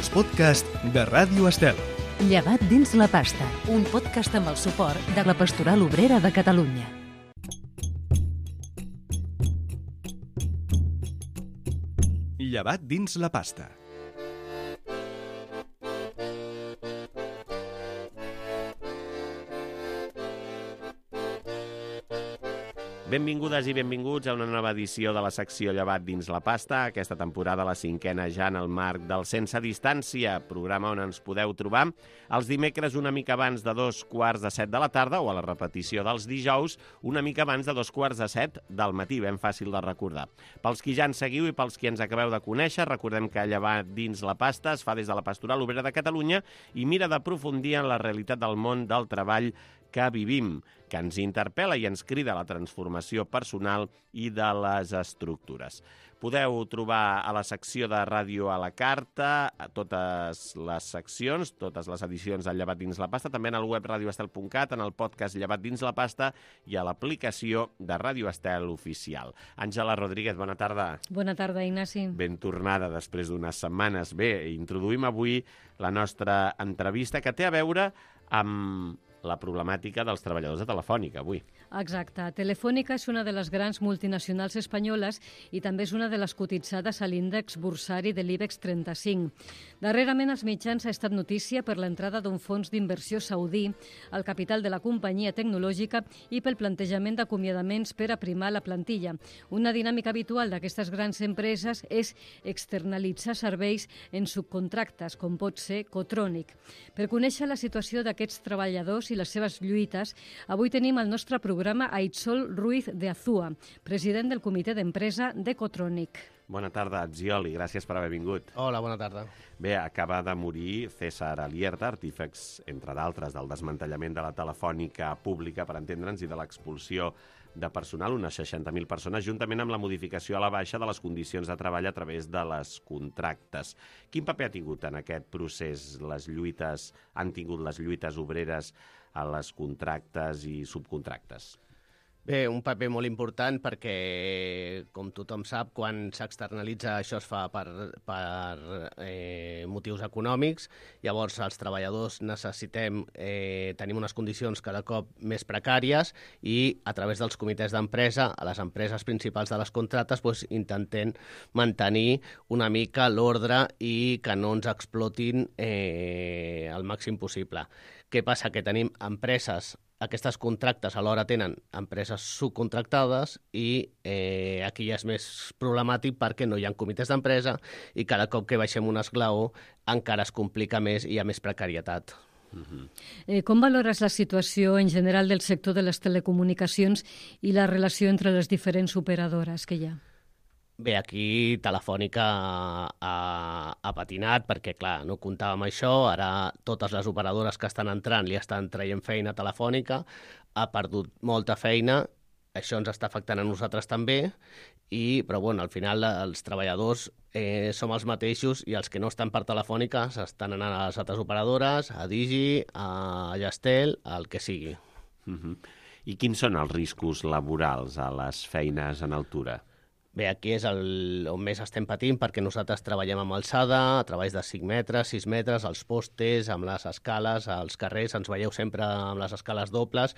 els podcasts de Ràdio Estel. Llevat dins la pasta, un podcast amb el suport de la Pastoral Obrera de Catalunya. Llevat dins la pasta. Benvingudes i benvinguts a una nova edició de la secció Llevat dins la pasta, aquesta temporada la cinquena ja en el marc del Sense Distància, programa on ens podeu trobar els dimecres una mica abans de 6:45 de la tarda o a la repetició dels dijous una mica abans de 2:45 del matí, ben fàcil de recordar. Pels qui ja ens seguiu i pels qui ens acabeu de conèixer, recordem que Llevat dins la pasta es fa des de la Pastoral Obrera de Catalunya i mira d'aprofundir en la realitat del món del treball que vivim, que ens interpel·la i ens crida a la transformació personal i de les estructures. Podeu trobar a la secció de Ràdio a la Carta totes les seccions, totes les edicions del Llevat dins la pasta, també en el web radioestel.cat, en el podcast Llevat dins la pasta i a l'aplicació de Ràdio Estel oficial. Àngela Rodríguez, bona tarda. Bona tarda, Ignasi. Ben tornada després d'unes setmanes. Bé, introduïm avui la nostra entrevista que té a veure amb la problemàtica dels treballadors de Telefònica, avui. Exacte. Telefònica és una de les grans multinacionals espanyoles i també és una de les cotitzades a l'índex bursari de l'IBEX 35. Darrerament, als mitjans ha estat notícia per l'entrada d'un fons d'inversió saudí al capital de la companyia tecnològica i pel plantejament d'acomiadaments per aprimar la plantilla. Una dinàmica habitual d'aquestes grans empreses és externalitzar serveis en subcontractes, com pot ser Cotronic. Per conèixer la situació d'aquests treballadors i les seves lluites, avui tenim al nostre programa a Itzol Ruiz de Azúa, president del comitè d'empresa de Cotronic. Bona tarda, Atziol, i gràcies per haver vingut. Hola, bona tarda. Bé, acaba de morir César Alierta, artífex, entre d'altres, del desmantellament de la telefònica pública, per entendre'ns, i de l'expulsió de personal, unes 60.000 persones, juntament amb la modificació a la baixa de les condicions de treball a través de les contractes. Quin paper ha tingut en aquest procés han tingut les lluites obreres a les contractes i subcontractes? Bé, un paper molt important perquè, com tothom sap, quan s'externalitza això es fa per motius econòmics. Llavors, els treballadors tenim unes condicions cada cop més precàries i a través dels comitès d'empresa, a les empreses principals de les contractes, intentem mantenir una mica l'ordre i que no ens explotin el màxim possible. Què passa? Que tenim empreses. Aquestes contractes alhora tenen empreses subcontractades i aquí ja és més problemàtic perquè no hi ha comitès d'empresa i cada cop que baixem un esglaó encara es complica més i hi ha més precarietat. Com valores la situació en general del sector de les telecomunicacions i la relació entre les diferents operadores que hi ha? Bé, aquí Telefònica ha patinat perquè, clar, no comptàvem això. Ara totes les operadores que estan entrant li estan traient feina a Telefònica. Ha perdut molta feina. Això ens està afectant a nosaltres també. Però, bueno, al final els treballadors som els mateixos i els que no estan per Telefònica s'estan anant a les altres operadores, a Digi, a Yastel, al que sigui. I quins són els riscos laborals a les feines en altura? Bé, aquí és on més estem patint perquè nosaltres treballem amb alçada, a treballs de 5 metres, 6 metres, als postes, amb les escales, als carrers, ens veieu sempre amb les escales dobles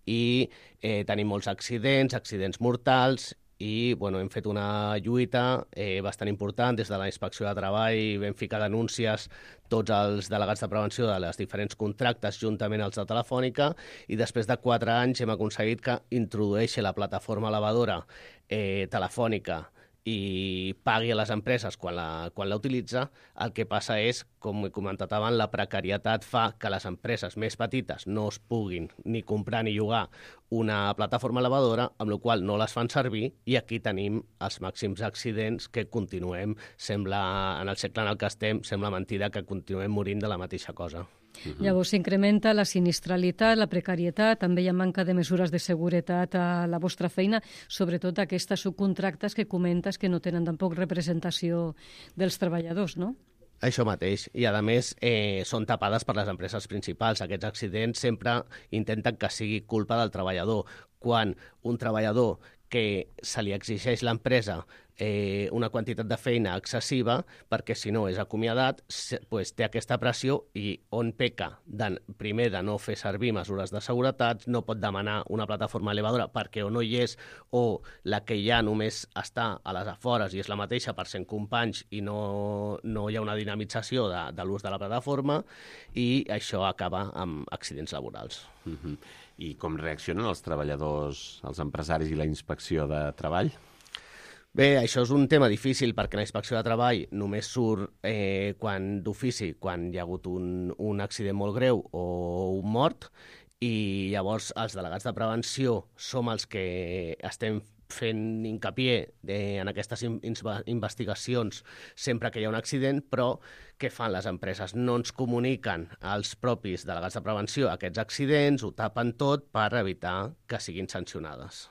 i tenim molts accidents mortals i hem fet una lluita bastant important. Des de la Inspecció de Treball vam ficar denúncies tots els delegats de prevenció de les diferents contractes juntament als de Telefònica i després de 4 anys hem aconseguit que introdueixi la plataforma elevadora Telefònica i pagui a les empreses quan la utilitza. El que passa és, com he comentat abans, la precarietat fa que les empreses més petites no es puguin ni comprar ni llogar una plataforma elevadora, amb la qual no les fan servir, i aquí tenim els màxims accidents que continuem. En el segle en el que estem, sembla mentida que continuem morint de la mateixa cosa. Llavors s'incrementa la sinistralitat, la precarietat, també hi ha manca de mesures de seguretat a la vostra feina, sobretot aquestes subcontractes que comentes que no tenen tampoc representació dels treballadors, no? Això mateix. I, a més, són tapades per les empreses principals. Aquests accidents sempre intenten que sigui culpa del treballador. Quan un treballador que se li exigeix a l'empresa una quantitat de feina excessiva, perquè si no és acomiadat, pues, té aquesta pressió i on peca primer de no fer servir mesures de seguretat, no pot demanar una plataforma elevadora perquè o no hi és o la que hi ha només està a les afores i és la mateixa per 100 companys i no hi ha una dinamització de l'ús de la plataforma i això acaba amb accidents laborals. I com reaccionen els treballadors, els empresaris i la inspecció de treball? Bé, això és un tema difícil perquè la inspecció de treball només surt d'ofici quan hi ha hagut un accident molt greu o un mort i llavors els delegats de prevenció som els que estem fent hincapié en aquestes investigacions sempre que hi ha un accident, però què fan les empreses? No ens comuniquen als propis delegats de prevenció aquests accidents, ho tapen tot per evitar que siguin sancionades.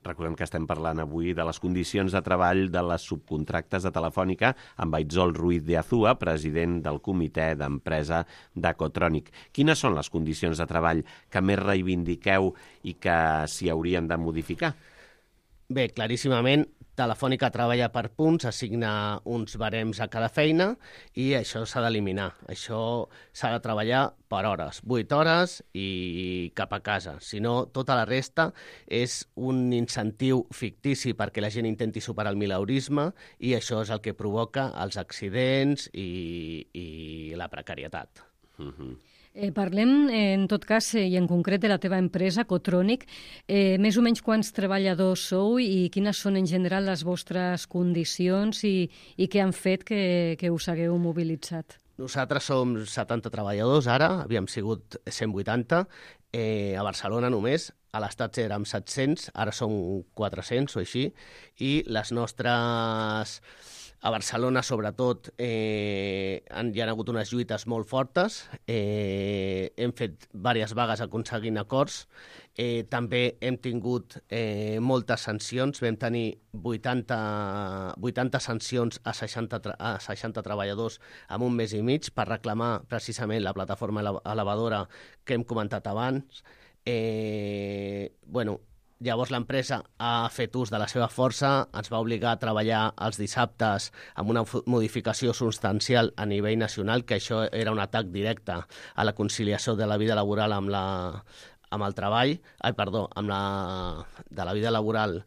Recordem que estem parlant avui de les condicions de treball de les subcontractes de Telefònica amb Aitzol Ruiz de Azúa, president del comitè d'empresa d'Ecotronic. Quines són les condicions de treball que més reivindiqueu i que s'hi haurien de modificar? Bé, claríssimament, Telefònica treballa per punts, assigna uns barems a cada feina i això s'ha d'eliminar. Això s'ha de treballar per hores, 8 hores i cap a casa. Si no, tota la resta és un incentiu fictici perquè la gent intenti superar el mileurisme i això és el que provoca els accidents i la precarietat. Parlem, en tot cas, i en concret de la teva empresa, Ecotronic. Més o menys quants treballadors sou i quines són en general les vostres condicions i què han fet que us hagueu mobilitzat? Nosaltres som 70 treballadors ara, havíem sigut 180, a Barcelona només, a l'Estat érem 700, ara som 400 o així, i les nostres... A Barcelona, sobretot, hi ha hagut unes lluites molt fortes. Hem fet diverses vagues aconseguint acords. També hem tingut moltes sancions. Vam tenir 80 sancions a 60 treballadors en un mes i mig per reclamar precisament la plataforma elevadora que hem comentat abans. Llavors l'empresa ha fet ús de la seva força, ens va obligar a treballar els dissabtes amb una modificació substancial a nivell nacional, que això era un atac directe a la conciliació de la vida laboral amb el treball, de la vida laboral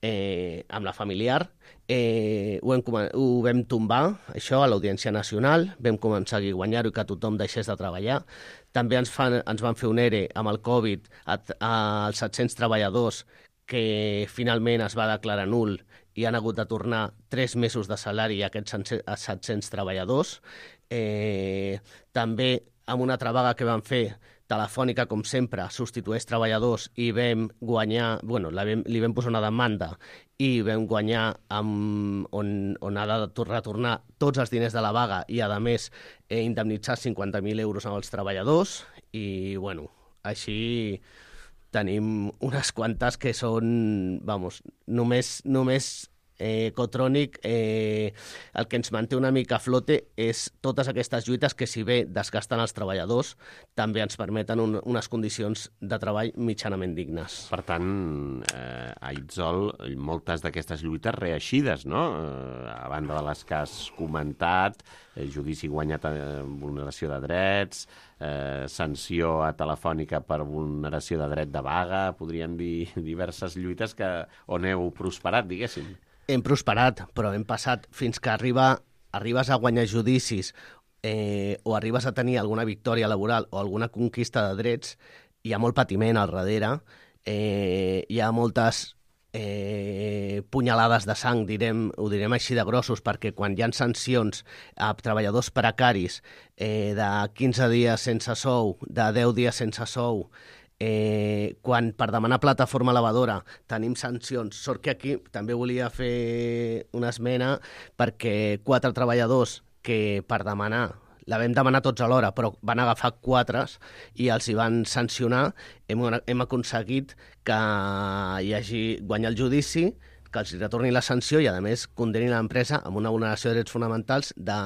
amb la familiar. Ho vam tombar, això, a l'Audiència Nacional, vam aconseguir guanyar-ho i que tothom deixés de treballar. També ens van fer un ERE amb el Covid als 700 treballadors que finalment es va declarar nul i han hagut de tornar 3 mesos de salari a aquests 700 treballadors. També amb una altra vaga que van fer, Telefònica, com sempre, substitueix treballadors i vam guanyar, li vam posar una demanda i vam guanyar on ha de retornar tots els diners de la vaga i, a més, indemnitzar 50.000 euros als treballadors i, així tenim unes quantes que són, només Ecotronic, el que ens manté una mica a flote és totes aquestes lluites que, si bé desgasten els treballadors, també ens permeten unes condicions de treball mitjanament dignes. Per tant, Aitzol, moltes d'aquestes lluites reeixides, no? A banda de les que has comentat, judici guanyat en vulneració de drets, sanció a Telefònica per vulneració de dret de vaga, podríem dir diverses lluites on heu prosperat, diguéssim. Hem prosperat, però hem passat fins que arribes a guanyar judicis o arribes a tenir alguna victòria laboral o alguna conquista de drets, hi ha molt patiment al darrere, hi ha moltes punyalades de sang, ho direm així de grossos, perquè quan hi ha sancions a treballadors precaris de 15 dies sense sou, de 10 dies sense sou, quan per demanar plataforma elevadora tenim sancions. Sort que aquí també volia fer una esmena perquè 4 treballadors que per demanar, la vam demanar tots alhora, però van agafar 4 i els hi van sancionar. Hem aconseguit que hi hagi guanyar el judici, que els retorni la sanció i, a més, condenin l'empresa amb una vulneració de drets fonamentals de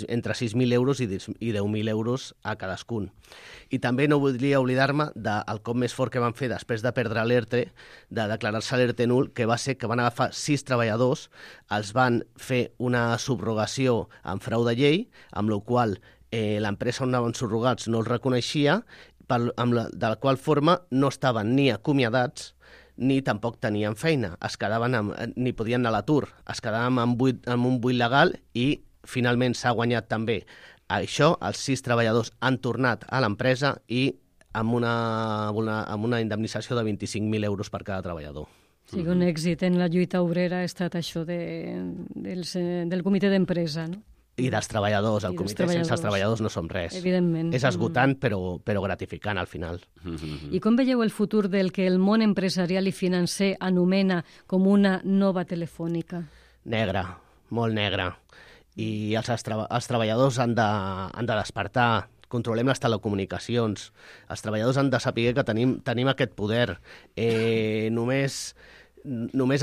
entre 6.000 euros i 10.000 euros a cadascun. I també no voldria oblidar-me del cop més fort que van fer després de perdre l'ERTE, de declarar-se l'ERTE nul, que va ser que van agafar 6 treballadors, els van fer una subrogació en frau de llei, amb la qual l'empresa on anaven subrogats no els reconeixia, de la qual forma no estaven ni acomiadats ni tampoc tenien feina, ni podien anar a l'atur, es quedaven amb un buit legal i finalment s'ha guanyat també això, els 6 treballadors han tornat a l'empresa i amb una indemnització de 25.000 euros per cada treballador. Sí, un èxit en la lluita obrera ha estat això del comitè d'empresa, no? I dels treballadors, el comitè sense els treballadors no som res. Evidentment. És esgotant però gratificant al final. I com veieu el futur del que el món empresarial i financer anomena com una nova telefònica? Negre, molt negre. I els treballadors han de despertar, controlem les telecomunicacions, els treballadors han de saber que tenim aquest poder. Només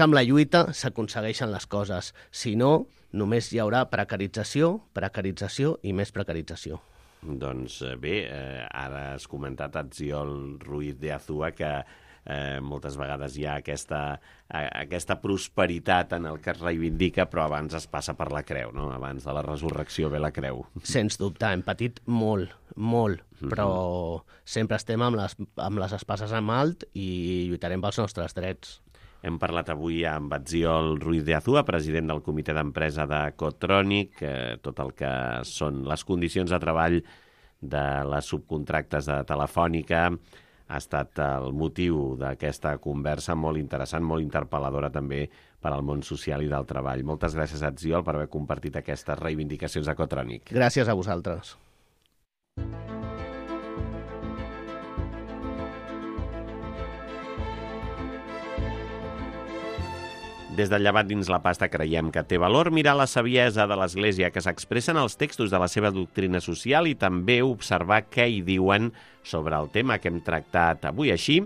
amb la lluita s'aconsegueixen les coses, si no, només hi haurà precarització i més precarització. Doncs bé, ara has comentat Atziol Ruiz de Azúa que moltes vegades hi ha aquesta prosperitat en el que es reivindica, però abans es passa per la creu, no? Abans de la resurrecció ve la creu. Sens dubte, hem patit molt, però sempre estem amb les espases en alt i lluitarem pels nostres drets. Hem parlat avui amb Atziol Ruiz de Azúa, president del comitè d'empresa de Cotronic, tot el que són les condicions de treball de les subcontractes de Telefònica. Ha estat el motiu d'aquesta conversa molt interessant, molt interpel·ladora també per al món social i del treball. Moltes gràcies, Atziol, per haver compartit aquestes reivindicacions a Cotronic. Gràcies a vosaltres. Des del Llevat dins la pasta creiem que té valor mirar la saviesa de l'Església que s'expressa en els textos de la seva doctrina social i també observar què hi diuen sobre el tema que hem tractat avui. Així,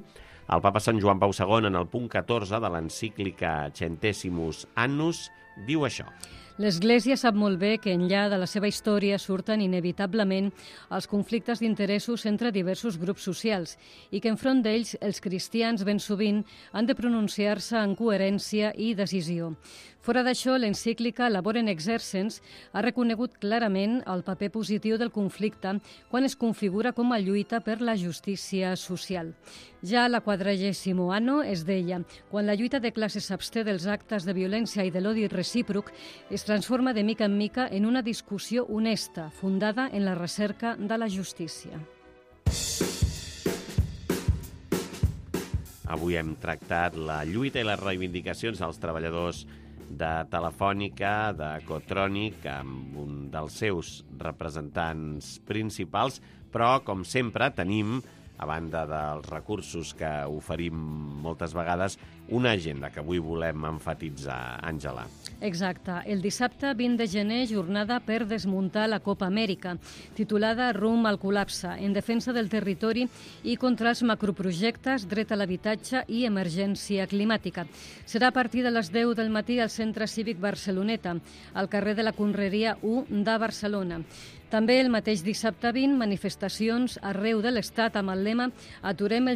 el papa Sant Joan Pau II, en el punt 14 de l'encíclica Centesimus Annus, diu això. L'Església sap molt bé que enllà de la seva història surten inevitablement els conflictes d'interessos entre diversos grups socials i que enfront d'ells els cristians ben sovint han de pronunciar-se en coherència i decisió. Fora d'això, l'encíclica Laborem Exercens ha reconegut clarament el paper positiu del conflicte quan es configura com a lluita per la justícia social. Ja a la 40º anno es deia: quan la lluita de classes s'absté dels actes de violència i de l'odi recíproc, es transforma de mica en mica en una discussió honesta, fundada en la recerca de la justícia. Avui hem tractat la lluita i les reivindicacions dels treballadors de Telefònica, de Cotronic, amb un dels seus representants principals, però, com sempre, tenim, a banda dels recursos que oferim moltes vegades, una agenda que avui volem emfatitzar, Àngela. Exacte. El dissabte 20 de gener, jornada per desmuntar la Copa Amèrica, titulada Rumb al col·lapse, en defensa del territori i contra els macroprojectes, dret a l'habitatge i emergència climàtica. Serà a partir de les 10 del matí al Centre Cívic Barceloneta, al carrer de la Conreria 1 de Barcelona. També el mateix dissabte 20, manifestacions arreu de l'Estat amb el lema Aturem el